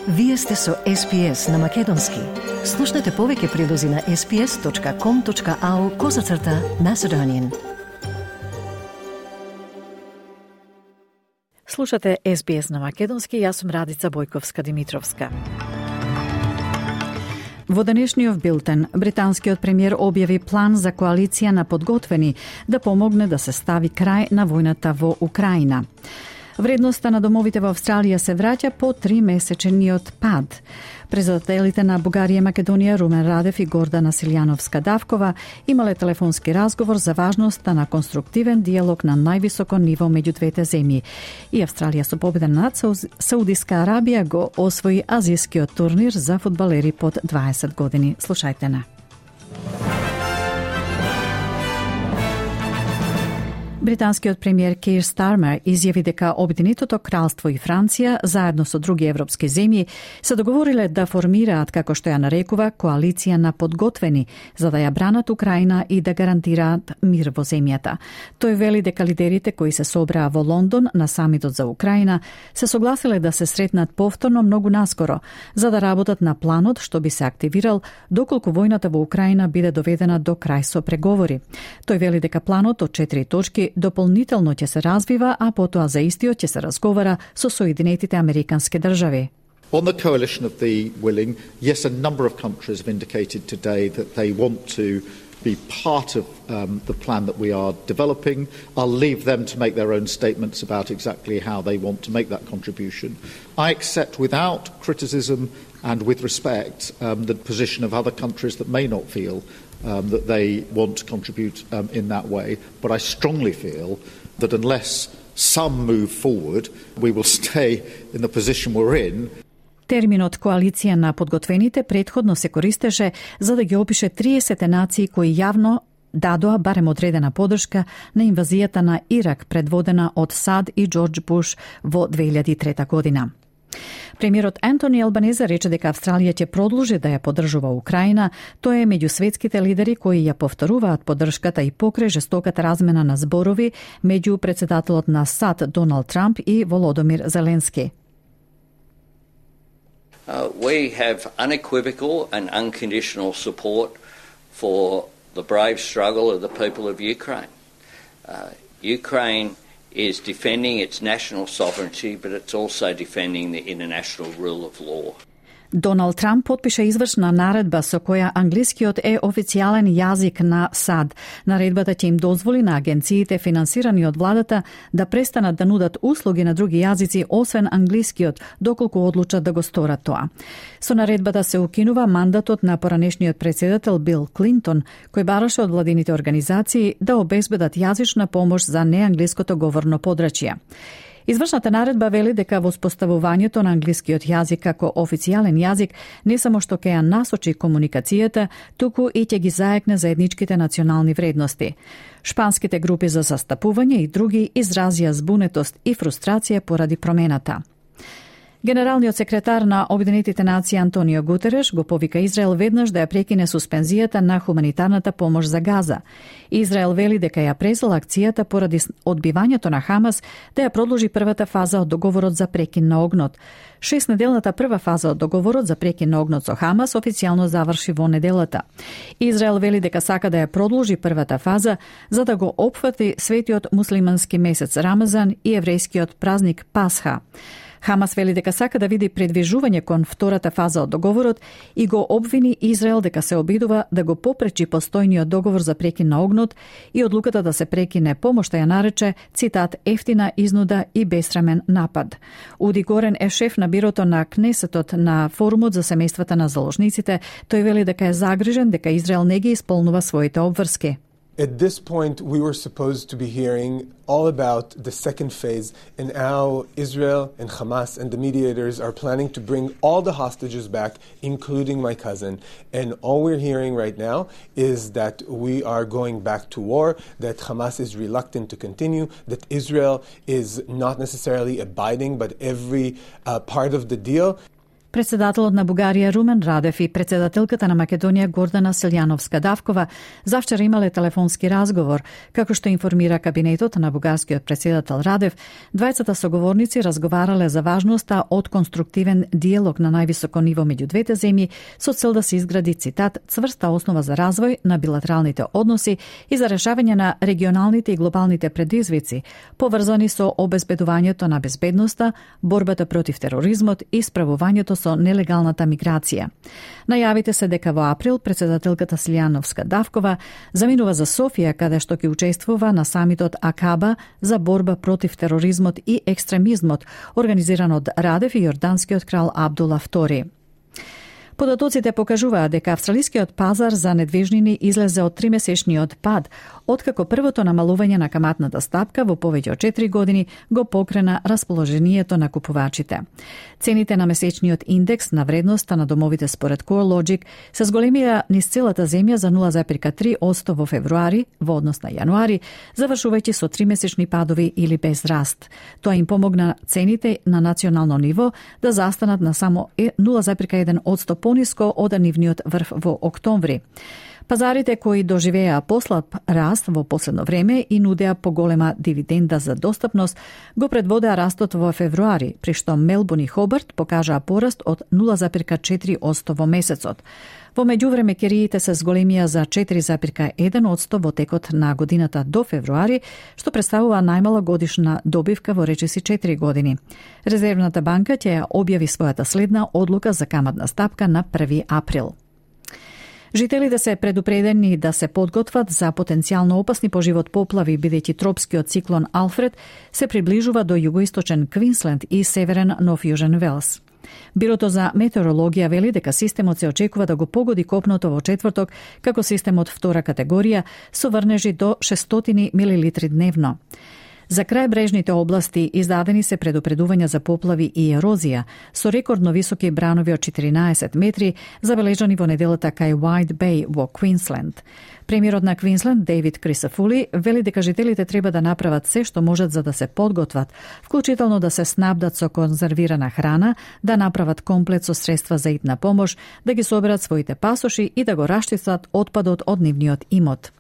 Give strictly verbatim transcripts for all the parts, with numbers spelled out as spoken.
Вие сте со Ес Би Ес на Македонски. Слушнете повеќе прилози на ес би ес точка ком точка ау козацрта Macedonian. Слушате Ес Би Ес на Македонски, јас сум Радица Бојковска-Димитровска. Во денешниот билтен, британскиот премиер објави план за коалиција на подготвени да помогне да се стави крај на војната во Украина. Вредноста на домовите во Австралија се враќа по тримесечниот пад. Председателите на Бугарија, Македонија, Румен Радев и Гордана Силјановска-Давкова имале телефонски разговор за важноста на конструктивен диалог на највисоко ниво меѓу двете земји. И Австралија со победа над Саудиска Арабија го освои азијскиот турнир за фудбалери под дваесет години. Слушајте на. Британскиот премиер Кейр Стармер изјави дека Обединетото кралство и Франција, заедно со други европски земји, се договориле да формираат, како што ја нарекува, коалиција на подготвени, за да ја бранат Украина и да гарантираат мир во земјата. Тој вели дека лидерите кои се собраа во Лондон на самитот за Украина се согласиле да се сретнат повторно многу наскоро, за да работат на планот што би се активирал доколку војната во Украина биде доведена до крај со преговори. Тој вели дека планот од четири точки дополнително ќе се развива, а потоа за истиот ќе се разговара со Соединетите Американски држави. On the coalition of the willing, yes, a number of countries have indicated today that they want to be part of um, the plan that we are developing. I'll leave them to make their own statements about exactly how they want to make that contribution. I accept without criticism and with respect um, the position of other countries that may not feel Um, that they want to contribute um, in that way. But I strongly feel that unless some move forward, we will stay in the position we're in. Терминот коалиција на подготвените претходно се користеше за да ги опише триесет нации кои јавно дадоа барем одредена подршка на инвазијата на Ирак предводена од Сад и Џорџ Буш во две илјади и трета година. Премиерот Ентони Албанезе рече дека Австралија ќе продолжи да ја поддржува Украина. Тој е меѓу светските лидери кои ја повторуваат поддршката и покрај жестоката размена на зборови меѓу председателот на САД Доналд Трамп и Володомир Зеленски. Uh, we have unequivocal and unconditional support for the brave struggle of the people of Ukraine. Uh, Ukraine is defending its national sovereignty, but it's also defending the international rule of law. Доналд Трамп потпиша извршна наредба со која англискиот е официјален јазик на САД. Наредбата ќе им дозволи на агенциите финансирани од владата да престанат да нудат услуги на други јазици освен англискиот, доколку одлучат да го сторат тоа. Со наредбата се укинува мандатот на поранешниот председател Бил Клинтон, кој бараше од владините организации да обезбедат јазична помош за неанглиското говорно подрачје. Извршната наредба вели дека воспоставувањето на англискиот јазик како официјален јазик не само што ќе ја насочи комуникацијата, туку и ќе ги заекне заедничките национални вредности. Шпанските групи за застапување и други изразија збунетост и фрустрација поради промената. Генералниот секретар на Обединетите нации Антонио Гутереш го повика Израел веднаш да ја прекине суспензијата на хуманитарната помош за Газа. Израел вели дека ја презел акцијата поради одбивањето на Хамас да ја продолжи првата фаза од договорот за прекин на огнот. Шестнеделната прва фаза од договорот за прекин на огнот со Хамас официјално заврши во неделата. Израел вели дека сака да ја продолжи првата фаза за да го опфати светиот муслимански месец Рамазан и еврејскиот празник Пасха. Хамас вели дека сака да види предвижување кон втората фаза од договорот и го обвини Израел дека се обидува да го попречи постојниот договор за прекин на огнот и одлуката да се прекине помошта ја нарече, цитат, ефтина изнуда и бесрамен напад. Уди Горен е шеф на бирото на Кнесетот на форумот за семејствата на заложниците. Тој вели дека е загрижен дека Израел не ги исполнува своите обврски. At this point, we were supposed to be hearing all about the second phase and how Israel and Hamas and the mediators are planning to bring all the hostages back, including my cousin. And all we're hearing right now is that we are going back to war, that Hamas is reluctant to continue, that Israel is not necessarily abiding, but every uh, part of the deal. Председателот на Бугарија Румен Радев и председателката на Македонија Гордана Силјановска-Давкова завчера имале телефонски разговор. Како што информира кабинетот на бугарскиот председател Радев, двајцата соговорници разговарале за важноста од конструктивен диалог на највисоко ниво меѓу двете земји со цел да се изгради, цитат, цврста основа за развој на билатералните односи и за решавање на регионалните и глобалните предизвици, поврзани со обезбедувањето на безбедноста, борбата против тероризмот и справувањето со нелегалната миграција. Најавите се дека во април председателката Силјановска-Давкова заминува за Софија, каде што ќе учествува на самитот Акаба за борба против тероризмот и екстремизмот, организиран од Радев и јорданскиот крал Абдула втори. Податоците покажуваат дека австралискиот пазар за недвижнини излезе од тримесечниот пад, откако првото намалување на каматната стапка во повеќе од четири години го покрена расположението на купувачите. Цените на месечниот индекс на вредноста на домовите според CoreLogic се зголемија низ целата земја за нула зарез три одсто во февруари во однос на јануари, завршувајќи со тримесечни падови или без раст. Тоа им помогна цените на национално ниво да застанат на само нула зарез еден одсто пониско од нивниот врв во октомври. Пазарите кои доживеа послаб раст во последно време и нудеа поголема дивиденда за достапност, го предводеа растот во февруари, при што Мелбурн и Хобарт покажаа пораст од нула зарез четири одсто во месецот. Во меѓувреме кериите се зголемија за четири зарез еден одсто во текот на годината до февруари, што представува најмала годишна добивка во речиси четири години. Резервната банка ќе ја објави својата следна одлука за каматна стапка на први април. Жителите се предупредени да се подготват за потенцијално опасни по живот поплави, бидејќи тропскиот циклон Алфред се приближува до југоисточен Квинсленд и северен Нов Јужен Велс. Бирото за метеорологија вели дека системот се очекува да го погоди копното во четврток како системот втора категорија со врнежи до шестстотини милилитри дневно. За крајбрежните области издадени се предупредувања за поплави и ерозија, со рекордно високи бранови од четиринаесет метри, забележани во неделата кај White Bay во Квинсленд. Премиерот на Квинсленд, Дейвид Крисафули, вели дека жителите треба да направат се што можат за да се подготват, вклучително да се снабдат со конзервирана храна, да направат комплет со средства за итна помош, да ги соберат своите пасоши и да го раштистат отпадот од нивниот имот.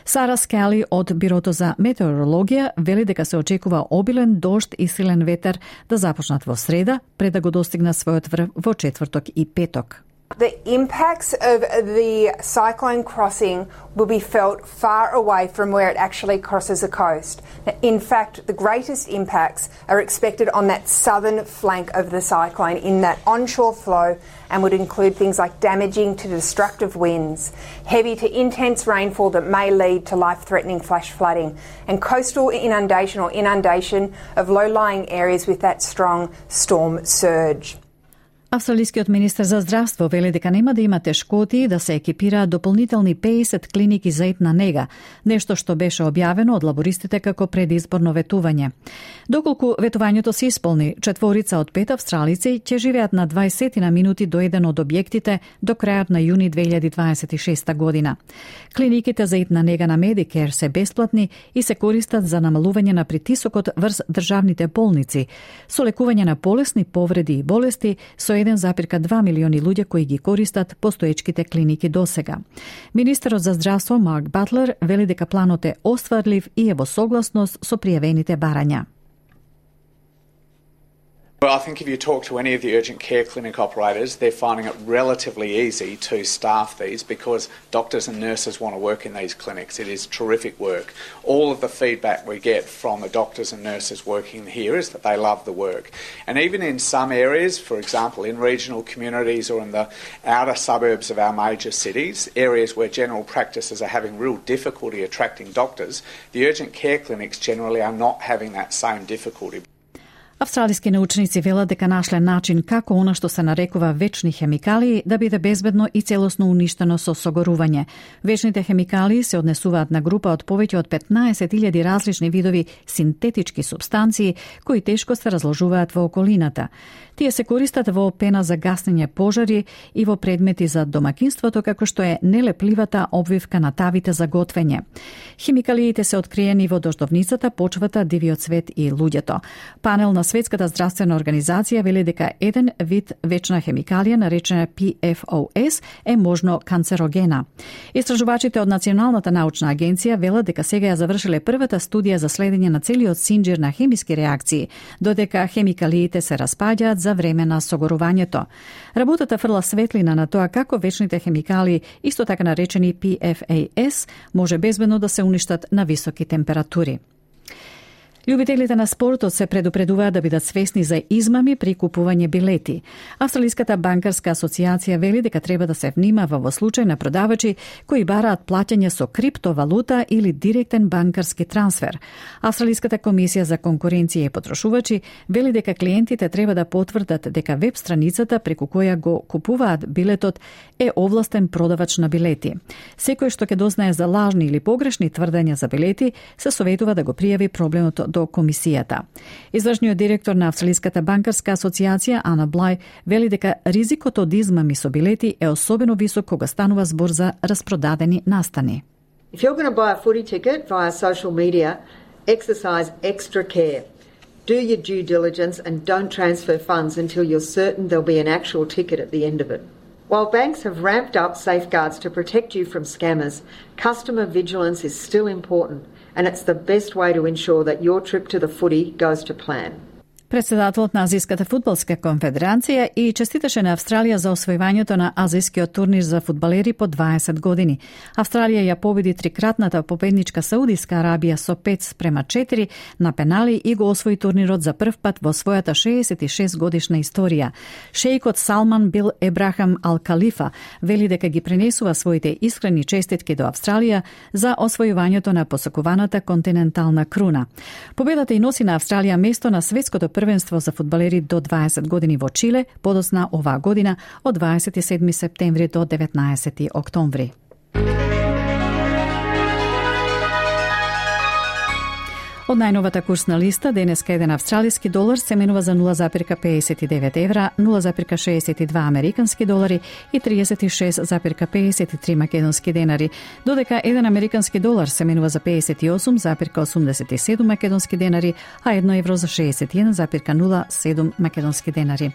Сара Скали од Бирото за метеорологија вели дека се очекува обилен дожд и силен ветер да започнат во среда, пред да го достигнат својот врв во четврток и петок. The impacts of the cyclone crossing will be felt far away from where it actually crosses the coast. In fact, the greatest impacts are expected on that southern flank of the cyclone in that onshore flow and would include things like damaging to destructive winds, heavy to intense rainfall that may lead to life-threatening flash flooding, and coastal inundation or inundation of low-lying areas with that strong storm surge. Австралискиот министер за здравство вели дека нема да има тешкоти да се екипираат дополнителни педесет клиники за итна нега, нешто што беше објавено од лабористите како предизборно ветување. Доколку ветувањето се исполни, четворица од пет австралици ќе живеат на дваесет на минути до еден од објектите до крајот на јуни две илјади дваесет и шеста година. Клиниките за итна нега на Medicare се бесплатни и се користат за намалување на притисокот врз државните болници, со лекување на полесни повреди и болести, со еден зарез два милиони луѓе кои ги користат постоечките клиники досега. Министерот за здравство Марк Батлер вели дека планот е остварлив и е во согласност со пријавените барања. Well, I think if you talk to any of the urgent care clinic operators, they're finding it relatively easy to staff these because doctors and nurses want to work in these clinics. It is terrific work. All of the feedback we get from the doctors and nurses working here is that they love the work. And even in some areas, for example, in regional communities or in the outer suburbs of our major cities, areas where general practices are having real difficulty attracting doctors, the urgent care clinics generally are not having that same difficulty. Австралиски научници велат дека нашле начин како она што се нарекува вечни хемикалии да биде безбедно и целосно уништено со согорување. Вечните хемикалии се однесуваат на група од повеќе од петнаесет илјади различни видови синтетички супстанции кои тешко се разложуваат во околината. Тие се користат во пена за гаснење пожари и во предмети за домакинството, како што е нелепливата обвивка на тавите за готвење. Хемикалиите се откриени во дождовницата, почвата, дивиот цвет и луѓето. Панел на Светската здравствена организација вели дека еден вид вечна хемикалија наречена Пи Еф О Ес е можно канцерогена. Истражувачите од Националната научна агенција велат дека сега ја завршиле првата студија за следење на целиот синџир на хемиски реакции, додека хемикалиите се распаѓаат за време на согорувањето. Работата фрла светлина на тоа како вечните хемикалии, исто така наречени Пи Еф О Ес, може безбедно да се уништат на високи температури. Љубителите на спортот се предупредуваат да бидат свесни за измами при купување билети. Австралиската банкарска асоциација вели дека треба да се внимава во случај на продавачи кои бараат плаќање со криптовалута или директен банкарски трансфер. Австралиската комисија за конкуренција и потрошувачи вели дека клиентите треба да потврдат дека веб страницата преку која го купуваат билетот е овластен продавач на билети. Секој што ќе дознае за лажни или погрешни тврдења за билети, се советува да го пријави проблемот до комисијата. Извршниот директор на Австралиската банкарска асоциација Ана Блај вели дека ризикот од измами со билети е особено висок кога станува збор за распродадени настани. If you're going to buy a footy ticket via social media, exercise extra care. Do your due diligence and don't transfer funds until you're certain there'll be an actual ticket at the end of it. While banks have ramped up safeguards to protect you from scammers, customer vigilance is still important, and it's the best way to ensure that your trip to the footy goes to plan. Председателот на Азиската фудбалска конфедерација и честиташе на Австралија за освојувањето на азискиот турнир за фудбалери по дваесет години. Австралија ја победи трикратната победничка Саудиска Арабија со пет спрема четири на пенали и го освои турнирот за прв пат во својата шеесет и шест годишна историја. Шејкот Салман Бил Ебрахам Ал Калифа вели дека ги пренесува своите искрени честитки до Австралија за освојувањето на посакуваната континентална круна. Победата и носи на Австралија место на светското првенство за фудбалери до дваесет години во Чиле, подосна оваа година од дваесет и седми септември до деветнаесети октомври. Од најновата курсна листа, денеска еден австралиски долар се менува за нула запирка педесет и девет евра, нула запирка шеесет и два американски долари и тридесет и шест запирка педесет и три македонски денари, додека еден американски долар се менува за педесет и осум запирка осумдесет и седум македонски денари, а едно евро за шеесет и еден запирка нула седум македонски денари.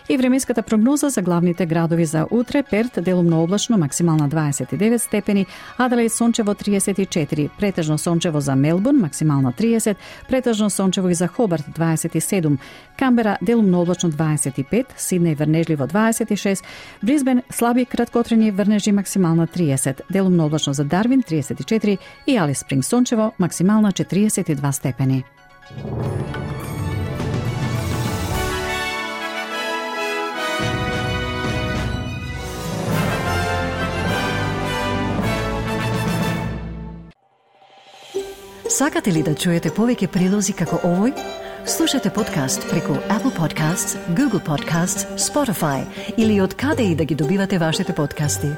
И временската прогноза за главните градови за утре: Перт делумно облачно, максимална дваесет и девет степени, Аделаид сончево тридесет и четири, претежно сончево за Мелбурн, максимална триесет, претежно сончево и за Хобарт дваесет и седум, Камбера делумно облачно дваесет и пет, Сиднеј врнежливо дваесет и шест, Брисбен слаби краткотрени врнежи, максимална триесет, делумно облачно за Дарвин тридесет и четири и Алис Спринг сончево, максимална четиристесет и два степени. Сакате ли да чуете повеќе прилози како овој? Слушате подкаст преку Apple Podcasts, Google Podcasts, Spotify или од каде и да ги добивате вашите подкасти.